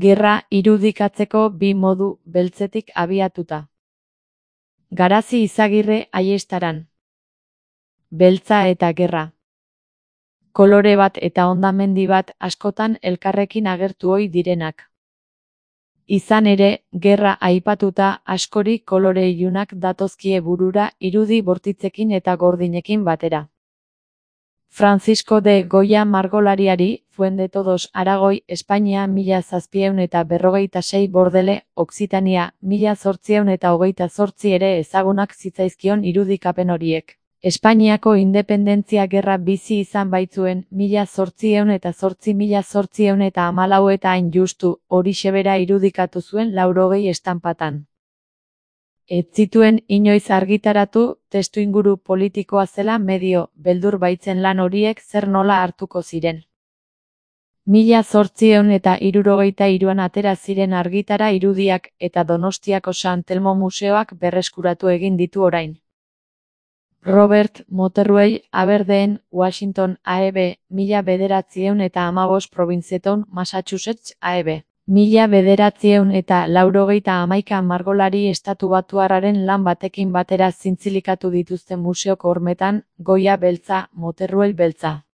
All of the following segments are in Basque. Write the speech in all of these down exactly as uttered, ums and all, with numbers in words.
Gerra irudikatzeko bi modu beltzetik abiatuta. Garazi Izagirre Aiestaran. Beltza eta gerra. Kolore bat eta hondamendi bat askotan elkarrekin agertu ohi direnak. Izan ere, gerra aipatuta askori kolore ilunak datozkie burura irudi bortitzekin eta gordinekin batera. Francisco de Goya margolariari, Fuendetodos Aragoi, Espainia mila zazpiehun eta berrogeita sei Bordele, Occitania, mila zortziehun eta hogeita zortzi ere ezagunak zitzaizkion irudikapen horiek. Espainiako independentzia gerra bizi izan baitzuen, mila zortziehun eta zortzi mila zortziehun eta hamalau eta hain justu, horixe bera irudikatu zuen laurogei estanpatan. Ez zituen inoiz argitaratu, testuinguru politikoa zela medio, beldur baitzen lan horiek zer nola hartuko ziren. Mila zortziehun eta hirurogeita hiruan atera ziren argitara irudiak eta Donostiako San Telmo Museoak berreskuratu egin ditu orain. Robert Motherwell, Aberdeen, Washington, A E B, mila bederatziehun eta hamabost Provincetown, Massachusetts, A E B. Mila bederatziehun eta laurogeita hamaika margolari estatubatuarraren lan batekin batera zintzilikatu dituzten museoko hormetan, Goya beltza, Motherwell beltza.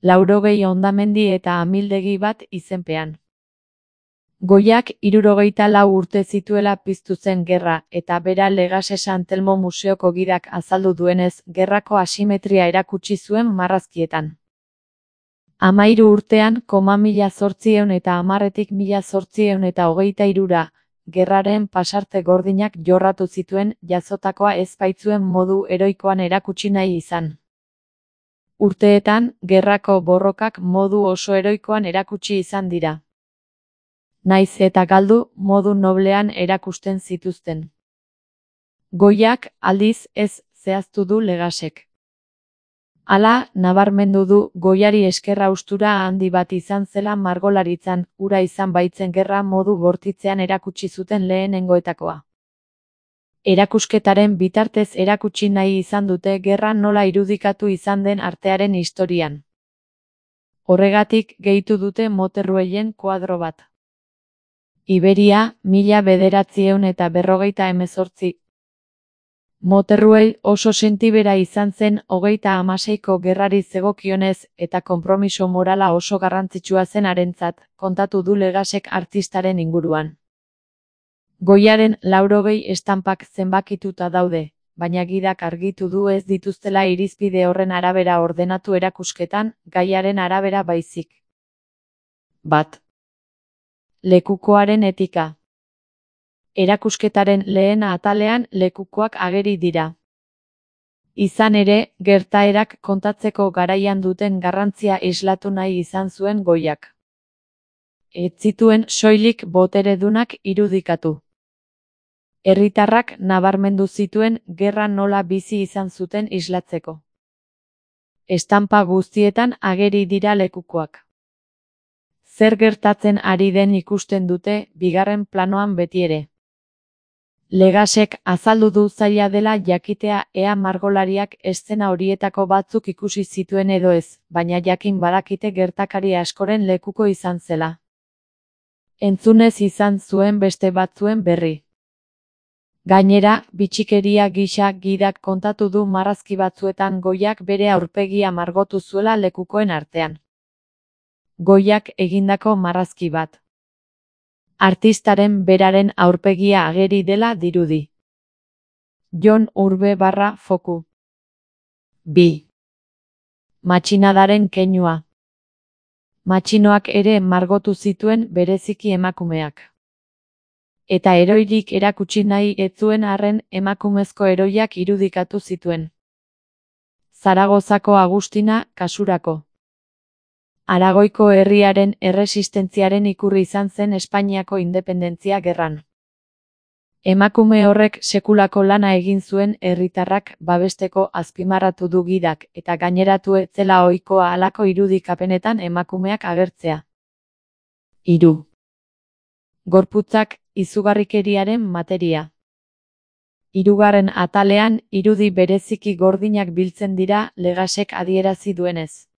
Laurogei hondamendi eta amildegi bat izenpean. Goyak hirurogeita lau urte zituela piztu zen gerra, eta bera Legase San Telmo Museoko gidak azaldu duenez, gerrako asimetria erakutsi zuen marrazkietan. Hamairu urtean, koma mila zortziehun eta hamarretik mila zortziehun eta hogeita hirura, gerraren pasarte gordinak jorratu zituen, jazotakoa ez baitzuen modu heroikoan erakutsi nahi izan. Urteetan, gerrako borrokak modu oso heroikoan erakutsi izan dira. Naiz eta galdu, modu noblean erakusten zituzten. Goyak, aldiz, ez zehaztu du Legasek. Hala, nabarmendu du, Goyari eskerra ustura handi bat izan zela margolaritzan, ura izan baitzen gerra modu bortitzean erakutsi zuten lehenengoetakoa. Erakusketaren bitartez erakutsi nahi izan dute gerra nola irudikatu izan den artearen historian. Horregatik, gehitu dute Motherwellen koadro bat. Iberia, mila bederatziehun eta berrogeita hemezortzi. Motherwell oso sentibera izan zen hogeita hamaseiko gerrari zegokionez eta konpromiso morala oso garrantzitsua zen harentzat, kontatu du Legasek artistaren inguruan. Goyaren laurogei estanpak zenbakituta daude, baina gidak argitu du ez dituztela irizpide horren arabera ordenatu erakusketan, gaiaren arabera baizik. Bat. Lekukoaren etika. Erakusketaren lehen atalean lekukoak ageri dira. Izan ere, gertaerak kontatzeko garaian duten garrantzia islatu nahi izan zuen Goyak. Ez zituen soilik boteredunak irudikatu. Herritarrak nabarmendu zituen gerra nola bizi izan zuten islatzeko. Estanpa guztietan ageri dira lekukoak. Zer gertatzen ari den ikusten dute, bigarren planoan betiere. Legasek azaldu du zaila dela jakitea ea margolariak eszena horietako batzuk ikusi zituen edo ez, baina jakin badakite gertakari askoren lekuko izan zela. Entzunez izan zuen beste batzuen berri. Gainera, bitxikeria gisa gidak kontatu du marrazki batzuetan Goyak bere aurpegia margotu zuela lekukoen artean. Goyak egindako marrazki bat. Artistaren beraren aurpegia ageri dela dirudi. Jon Urbe barra foku. Bi. Matxinadaren keinua. Matxinoak ere margotu zituen bereziki emakumeak. Eta heroirik erakutsi nahi ez zuen arren emakumezko heroiak irudikatu zituen. Zaragozako Agustina, kasurako. Aragoiko herriaren erresistentziaren ikurri izan zen Espainiako independentzia gerran. Emakume horrek sekulako lana egin zuen herritarrak babesteko azpimarratu du gidak eta gaineratu ez zela ohikoa halako irudikapenetan emakumeak agertzea. Hiru. Gorputzak, izugarrikeriaren materia. Hirugarren atalean, irudi bereziki gordinak biltzen dira Legasek adierazi duenez.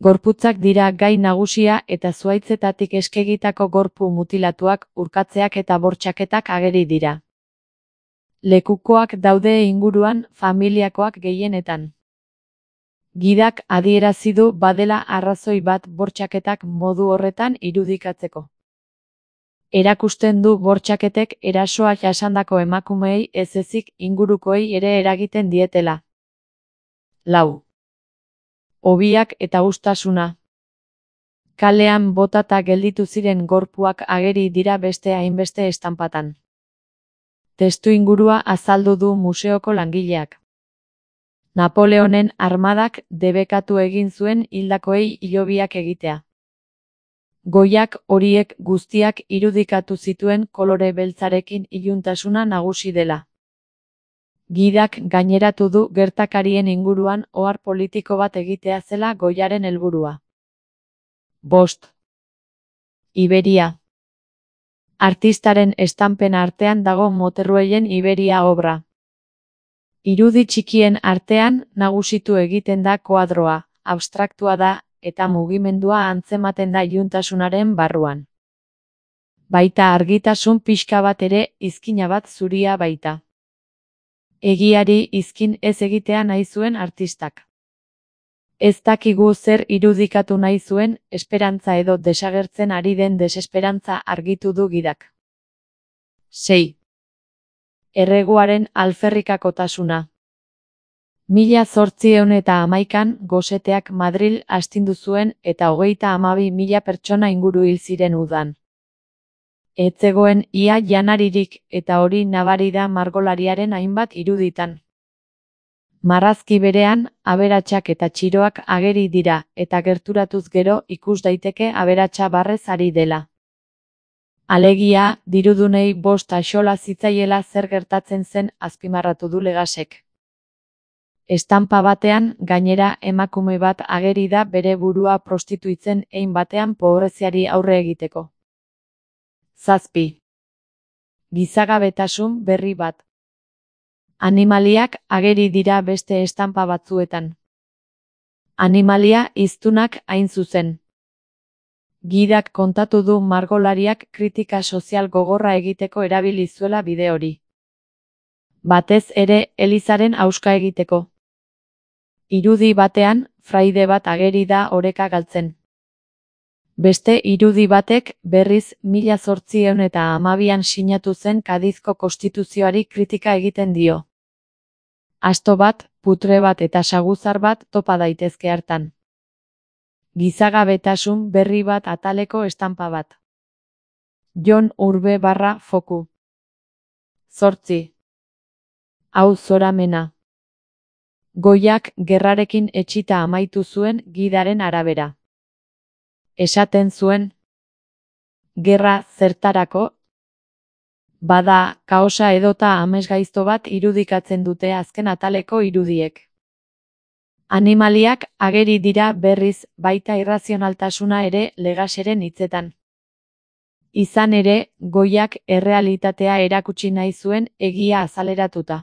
Gorputzak dira gai nagusia eta zuhaitzetatik eskegitako gorpu mutilatuak, urkatzeak eta bortxaketak ageri dira. Lekukoak daude inguruan, familiakoak gehienetan. Gidak adierazi du badela arrazoi bat bortxaketak modu horretan irudikatzeko. Erakusten du bortxaketek erasoa jasandako emakumeei ez ezik ingurukoei ere eragiten dietela. Lau. Hobiak eta uztasuna. Kalean botata gelditu ziren gorpuak ageri dira beste hainbeste estanpatan. Testuingurua azaldu du museoko langileak. Napoleonen armadak debekatu egin zuen hildakoei hilobiak egitea. Goiak horiek guztiak irudikatu zituen kolore beltzarekin iluntasuna nagusi dela. Gidak gaineratu du gertakarien inguruan ohar politiko bat egitea zela goiaren helburua. Bost. Iberia. Artistaren estanpen artean dago Moterruellen Iberia obra. Irudi txikien artean nagusitu egiten da koadroa, abstraktua da, eta mugimendua antzematen da iluntasunaren barruan. Baita argitasun pixka bat ere, izkina bat zuria baita. Egiari izkin ez egitea nahi zuen artistak. Ez dakigu zer irudikatu nahi zuen, esperantza edo desagertzen ari den desesperantza argitu du gidak. Sei. Erreguaren alferrikakotasuna. Mila zortziehun eta hamaikan goseteak Madril astindu zuen eta hogeita hamabi mila pertsona inguru hil ziren udan. Ez zegoen ia janaririk eta hori nabari da margolariaren hainbat iruditan. Marrazki berean, aberatsak eta txiroak ageri dira eta gerturatuz gero ikus daiteke aberatsa barrez ari dela. Alegia, dirudunei bost axola zitzaiela zer gertatzen zen azpimarratu du Legasek. Estanpa batean, gainera emakume bat ageri da bere burua prostituitzen hein batean pobreziari aurre egiteko. Zazpi. Gizagabetasun berri bat. Animaliak ageri dira beste estanpa batzuetan. Animalia hiztunak hain zuzen. Gidak kontatu du margolariak kritika sozial gogorra egiteko erabili zuela bide hori. Batez ere, Elizaren hauska egiteko. Irudi batean, fraide bat ageri da oreka galtzen. Beste irudi batek, berriz, mila zortziehun eta hamabian sinatu zen Kadizko konstituzioari kritika egiten dio. Asto bat, putre bat eta saguzar bat topa daitezke hartan. Gizagabetasun berri bat ataleko estanpa bat. Jon Urbe barra foku. Zortzi. Hau zoramena. Goiak gerrarekin etxita amaitu zuen gidaren arabera. Esaten zuen. Gerra zertarako? Bada, kaosa edota amesgaizto bat irudikatzen dute azken ataleko irudiek. Animaliak ageri dira berriz baita irrazionaltasuna ere Legaseren hitzetan. Izan ere, Goiak errealitatea erakutsi nahi zuen egia azaleratuta.